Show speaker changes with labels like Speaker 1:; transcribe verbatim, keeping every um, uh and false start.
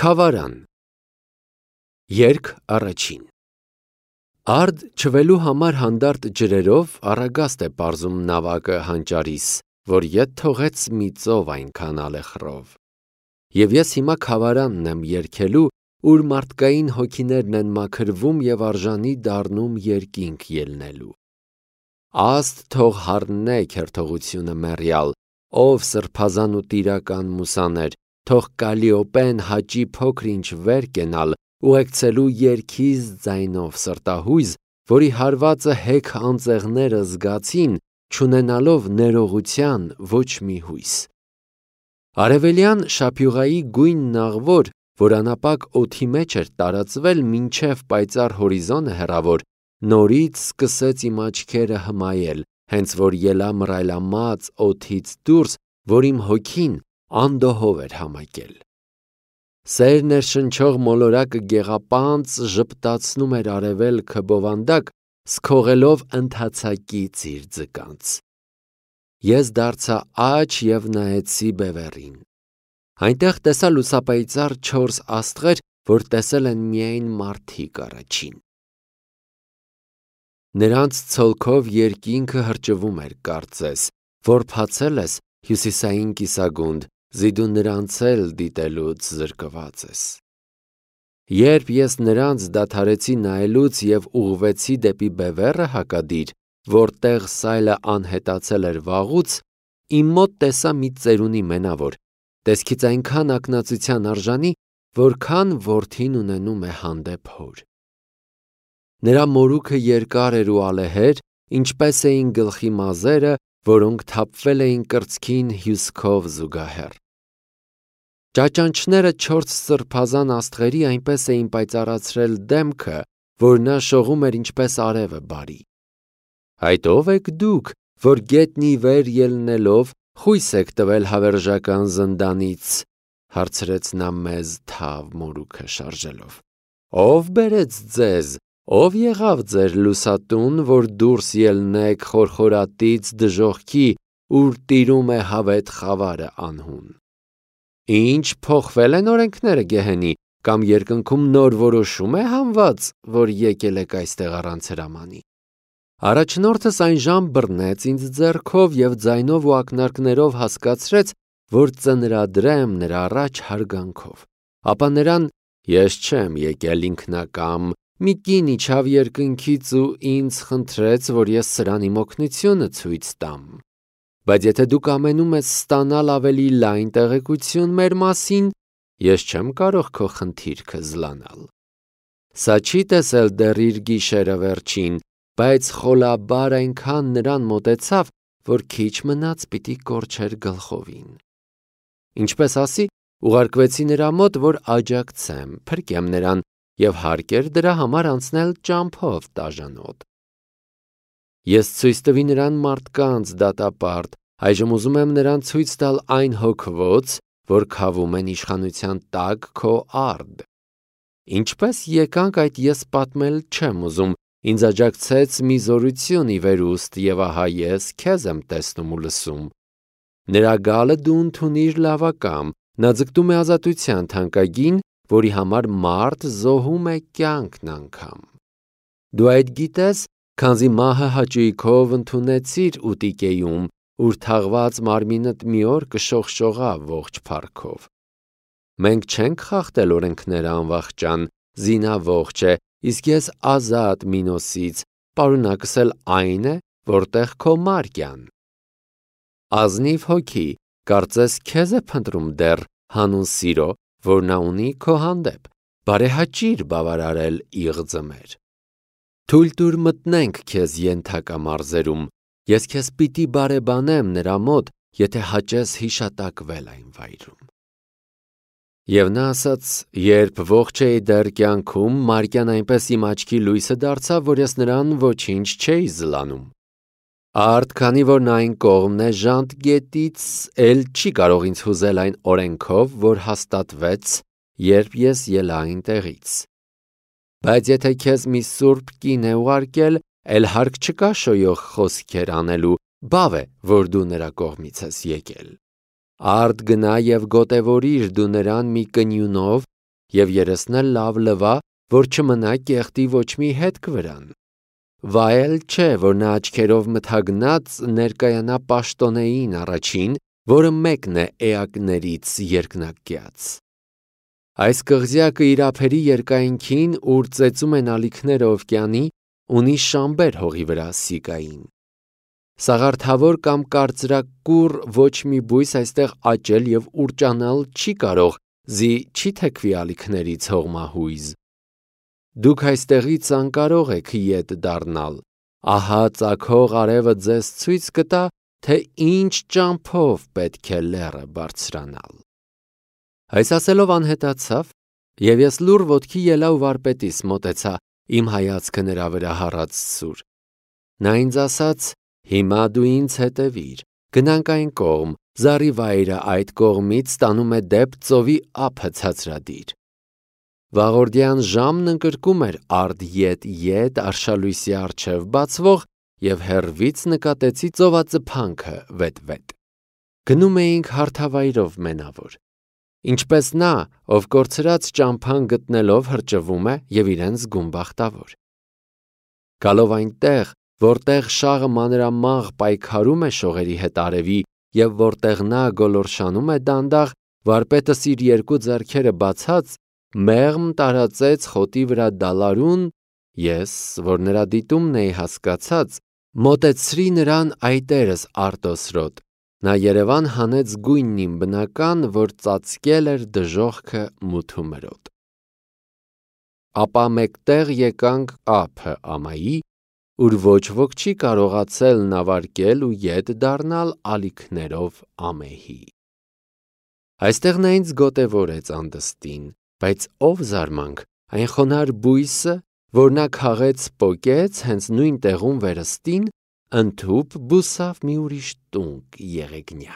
Speaker 1: Քավարան։ Երգ առաջին։ Արդ չվելու համար հանդարտ ջրերով առագաստ է պարզում նավակը հանճարիս, որ ետ թողեց մի ծով այնքան ալեխռով։ Եվ ես հիմա քավարանն եմ երգելու, ուր մարդկային հոգիներն են մաքրվում և արժանի դառնում երկինք ելնելու։ Աստ թող հառնե քերթողությունը մեռյալ, ով սրբազան ու տիրական մուսաներ, թող Կալիոպեն հաճի փոքր-ինչ վեր կենալ, ուղեկցելու երգիզ ձայնով սրտահույզ, որի հարվածը հեգ անձեղները զգացին, չունենալով ներողության ոչ մի հույս։ Արևելյան շափյուղայի գույնն աղվոր, որ անապակ օդի մեջ էր տարածվել մինչև պայծառ հորիզոնը հեռավոր, նորից սկսեց իմ աչքերը հմայել, հենց որ ելա մռայլամած օդից դուրս, որ իմ հոգին անդոհով էր համակել։ Սեր ներշնչող մոլորակը գեղապանծ ժպտացնում էր արևելքը բովանդակ, սքողելով ընթացակից իր ձկանց։ Ես դարձա աջ և նայեցի բևեռին։ Այնտեղ տեսա լուսապայծառ չորս աստղեր, որ տեսել են միայն մարդիկ առաջին։ Նրանց ցոլքով երկինքը հրճվում էր կարծես, որ փացել ես հյուսիսային կիսագունդ, զիդու նրանց էլ դիտելուց զրկված ես։ Երբ ես նրանց դադարեցի նայելուց և ուղղվեցի դեպի բևեռը հակադիր, որտեղ սայլը անհետացել էր վաղուց, իմ մոտ տեսա մի ծերունի մենավոր, տեսքից այնքան ակնածության արժանի, որքան որդին ունենում է հանդեպ հոր։ Նրա մորուքը երկար էր ու ալեհեր, ինչպես էին գլխի մազերը, որոնք թափվել էին կրծքին հյուսքով զուգահեռ։ Ճաճանճները չորս սրբազան աստղերի այնպես էին պայծառացրել դեմքը, որ նա շողում էր ինչպես արևը բարի։ Այդ ո՞վ եք դուք, որ գետնի վեր ելնելով խույս եք տվել հավերժական զնդանից, հարցրեց նա մեզ թավ մորուքը շարժելով։ Ո՞վ բերեց ձեզ, ով եղավ ձեր լուսատուն, որ դուրս ելնեք խորխորատից դժոխքի, ուր տիրում է հավետ խավարը անհուն։ Ինչ փոխվել են օրենքները գեհենի, կամ երկնքում նոր որոշում է հանված, որ եկել եք այստեղ առանց հրամանի։ Առաջնորդս այնժամ բռնեց ինձ ձեռքով և ձայնով ու ակնարկներով հասկացրեց, որ ծնրադրեմ նրա առաջ հարգանքով։ Ապա նրան ես չեմ եկել ինքնակամ, մի կին իջավ երկնքից ու ինձ խնդրեց, որ ես սրան իմ օգնությունը ցույց տամ։ Բայց եթե դուք ամենում ես ստանալ ավելի լայն տեղեկություն մեր մասին, ես չեմ կարող քո խնդիրքը զլանալ։ Սա չի տեսել դեռ իր գիշերը վերջին, բայց խոլաբար այնքան նրան մոտեցավ, որ քիչ մնաց պիտի կորչեր գլխովին։ Ինչպես ասի, ուղարկվեցի նրա մոտ, որ աջակցեմ, փրկեմ նրան և հարկ էր դրա համար անցնել ճամփով տաժանոտ։ Ես ցույց տվի նրան մարդկանց դատապարտ, այժմ ուզում եմ նրան ցույց տալ այն հոգվոց, որ քավում են իշխանության տակ քո արդ։ Ինչպես եկանք այդ ես պատմել չեմ ուզում, ինձ աջակցեց մի զորություն ի վերուստ և ահա ես քեզ եմ տեսնում ու լսում։ Նրա գալը դու ընդունիր լավակամ, նա ձգտում է ազատության թանկագին, որի համար մարդ զոհում է կյանքն անգամ։ Դու այդ գիտես, քանզի մահը հաճույքով ընդունեցիր ուտիկեյում, ուր թաղված մարմինդ մի օր կշողշողա ողջ փառքով։ Մենք չենք խախտել օրենքները անվախճան, Զինա ողջ է, իսկ ես ազատ Մինոսից, պարունակս էլ այն է, որտեղ քո Մարկյան։ Ազնիվ հոգի, կարծես քեզ է փնտրում դեռ հանուն սիրո, որ նա ունի քո հանդեպ, բարեհաճիր բավարարել իղձը մեր։ Թույլ տուր մտնենք քեզ ենթակա մարզերում, ես քեզ պիտի բարեբանեմ նրա մոտ, եթե հաճես հիշատակվել այն վայրում։ Եվ նա ասաց, երբ ողջ էի դեռ կյանքում, Մարկյան այնպես իմ աչքի լույսը դարձավ, որ ես նրան ոչինչ չէի զլանում։ Արդ քանի որ նա այն կողմն է ժանտ գետից, էլ չի կարող ինձ հուզել այն օրենքով, որ հաստատվեց, երբ ես ելա այնտեղից։ Բայց եթե քեզ մի սուրբ կին է ուղարկել, էլ հարկ չկա շոյող խոսքեր անելու, բավ է, որ դու նրա կողմից ես եկել։ Արդ գնա և գոտևորիր դու նրան մի կնյունով, և երեսնել լավ լվա, որ չմնա կեղտի ոչ մի հետք վրան։ Վայել չէ, որ նա աչքերով մթագնած ներկայանա պաշտոնեին առաջին, որը մեկն է էակներից երկնակյաց։ Այս կղզյակը իր ափերի երկայնքին, ուր ծեծում են ալիքները օվկիանի, ունի շամբեր հողի վրա Սիկային։ Սաղարթավոր կամ կարծրակուռ ոչ մի բույս այստեղ աճել և ուռճանալ չի կարող, զի չի թեքվի ալիքներից հողմահույզ։ Դուք այստեղից անկարող եք ետ դառնալ, ահա ծագող արևը ձեզ ցույց կտա, թե ինչ ճամփով պետք է լեռը բարձրանալ։ Այս ասելով անհետացավ, և ես լուռ ոտքի ելա ու վարպետիս մոտեցա, իմ հայացքը նրա վրա հառած սուր։ Նա ինձ ասաց. «Հիմա դու ինձ հետևիր, գնանք այն կողմ, զառիվայրը այդ կողմից տանում է դեպ ծովի ափը ցածրադիր»։ Վաղորդյան ժամն ընկրկում էր արդ-ետ-ետ արշալույսի առջև բացվող, և հեռվից նկատեցի ծովածփանքը վետ-վետ։ Գնում էինք հարթավայրով մենավոր։ Ինչպես նա, ով կորցրած ճամփան գտնելով հրճվում է և իրեն զգում բախտավոր։ Գալով այնտեղ, որտեղ շաղը մանրամաղ պայքարում է շողերի հետ արևի և որտեղ նա գոլորշանում է դանդաղ, վարպետս իր երկու ձեռքերը բացած, մեղմ տարածեց խոտի վրա դալարուն, ես, որ նրա դիտումն էի հասկացած, մոտեցրի նրան այտերս արտոսրոտ, նա երևան հանեց գույնն իմ բնական, որ ծածկել էր դժոխքը մութու մրոտ։ Ապա մեկտեղ եկանք ափը ամայի, ուր ոչ ոք չի կարողացել նավարկել ու ետ դառնալ ալիքներով ամեհի։ Այստեղ նա ինձ գոտևորեց անդստին, բայց ով զարմանք, այն խոնարհ բույսը, որ նա քաղեց պոկեց հենց նույն տեղում վերստին, ընդհուպ բուսավ մի ուրիշ տունկ եղեգնյա։